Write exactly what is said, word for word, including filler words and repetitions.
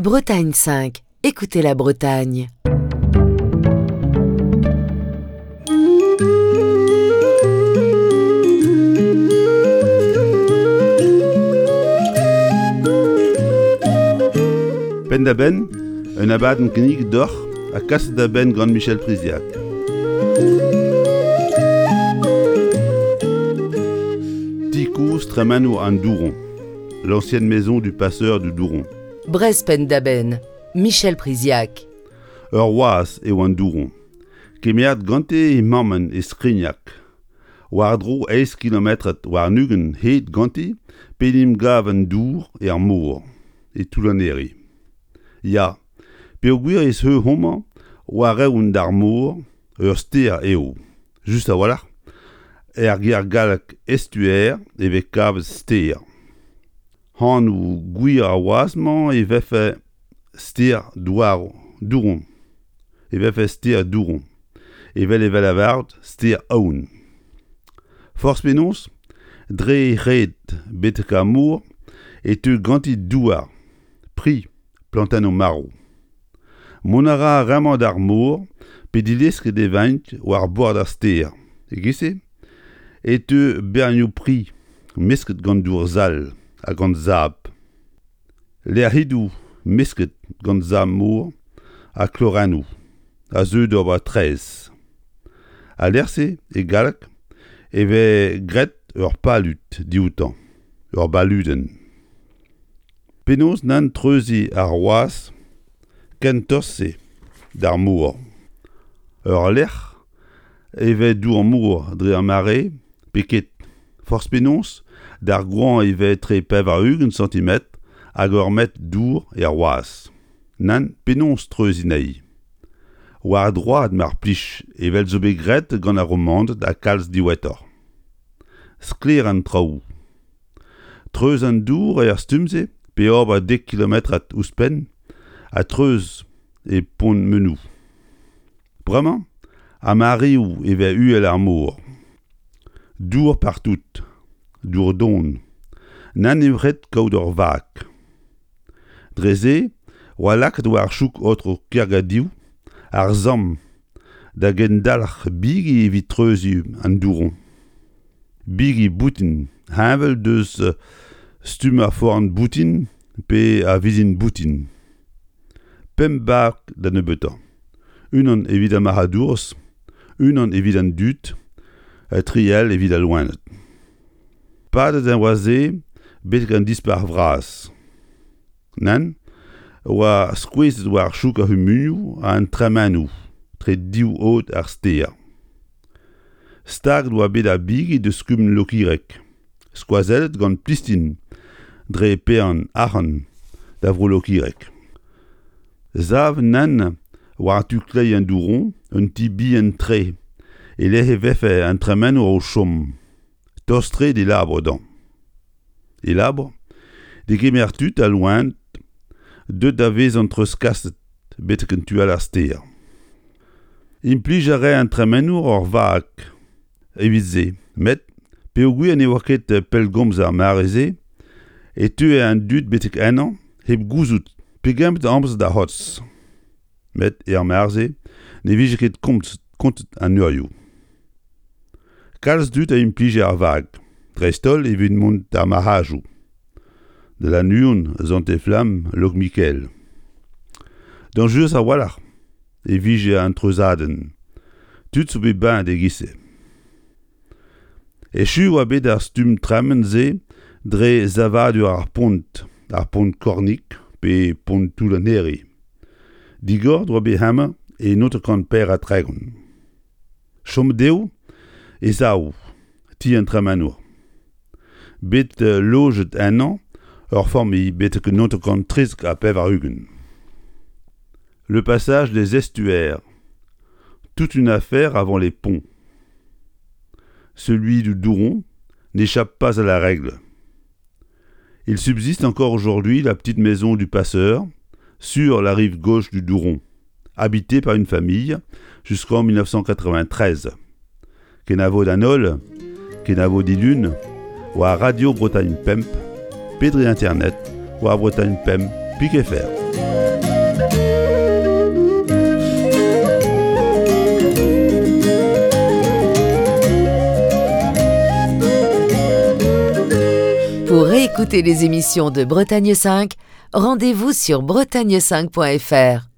Bretagne cinq, écoutez la Bretagne. Penn-da-benn, un abadenn kinniget deoc'h ha kaset da benn gant Michel Priziac. Ti kozh tremenour an Douron, l'ancienne maison du passeur du Douron. Breizh Penn-da-Benn, Michel Priziac. Ur wazh eo an Douron, kemeret gante he mammenn e Skrignag. War-dro eizh kilometr warn-ugent hed ganti p'en em gav an dour er mor, e Toull-an-Here. Ya, peogwir ez eo homañ war-eeun d'ar mor, ur stêr eo, just a-walc'h, er ger gallek estuaire e vez kavet stêr. Anv gwir ar wazh-mañ e vefe stêr Douaron, Douron, e vefe stêr Douron, evel e vez lavaret stêr Aon. Forzh penaos, dre he red betek ar mor e teu ganti douar, pri, plantennoù marv. Mont a ra ar re-mañ d'ar mor pe dilesket e vint war bord ar stêr. E-giz-se e teu bernioù pri mesket gant dour sall ha gant sabl. Lec'hidoù mesket gant sabl-mor ha klorennoù a zeu d'ober traezh. Al lec'h-se, e galleg, e vez graet ur palud dioutañ, ur baludenn. Penaos nann treuziñ ar wazh ken tost-se d'ar mor. Ur lec'h e vez dour-mor dre ar mare pe ket. Forzh penaos, d'ar goañv e vez etre pevar-ugent santimetr hag ur metr dour er wazh. Nann, penaos treuziñ anezhi ? War droad mar plij evel zo bet graet gant ar Romaned ha kalz diwezhatoc'h. Sklaer an traoù. Treuz an dour er stumm-se pe ober dek kilometrad ouzhpenn ha treuz e Pont-Menou. Bremañ, ar mareoù e vez uhel ar mor. Dour partout, dour don, nann eo ret kaout ur vag. Dre se oa lakaet war chouk aotrou Kergadiou ar samm da gendalc'h bigi evit treuziñ an Douron. Bigi boutin heñvel deus stumm ar forn boutin pe ar vizin boutin. Pemp bag da nebeutañ. Unan evit ar marc'hadourezh, unan evit an dud, ha tri all evit al loened. Padet e oa se betek an Dispac'h vras. Nann, oa skoezet war chouk ar c'humunioù ha an tremenoù tre div aod ar stêr. Staget oa bet ar bigi deus kumun Lokireg, skoazellet gant Plistin dre paeañ arc'hant da vro Lokireg. Savet nann war tu kleiz an Douron un ti bihan-tre e-lec'h e vefe an tremenour o chom, tost-tre d'e labour dezhañ. E labour, degemer tud ha loened deuet da vezañ treuzkaset betek an tu all ar stêr. Implij a rae an tremenour ur vag evit se, met peogwir ne oa ket pellgomz ar mare-se e teue an dud betek ennañ hep gouzout pegement amzer da c'hortoz. Met er mare-se ne vije ket komzet kontet an eurioù. Kalz dud a implije ar vag, dreist-holl evit mont d'ar marc'hadoù. Da Lannuon, Sant-Eflamm, Lokmikael. Dañjerus a-walc'h e vije an treuzadenn. Tud zo bet baet e-giz-se. Echu oa bet ar stumm tremen-se dre savadur ar pont, ar pont Kornig pe pont Toull-an-Here. Digoret oa bet hemañ e naontek kant pevar ha tregont. Chomet eo e sav, ti an tremenour. Bet lojet ennañ ur familh betek naontek kant trizek ha pevar-ugent. Le passage des estuaires. Toute une affaire avant les ponts. Celui du Douron n'échappe pas à la règle. Il subsiste encore aujourd'hui la petite maison du passeur sur la rive gauche du Douron, habitée par une famille jusqu'en mille neuf cent quatre-vingt-treize. Kenavo d'an holl, kenavo dilun, war Radio Bretagne Pemp, pe dre Internet, war Bretagne Pemp, pik F R. Pour réécouter les émissions de Bretagne cinq, rendez-vous sur bretagne cinq point F R.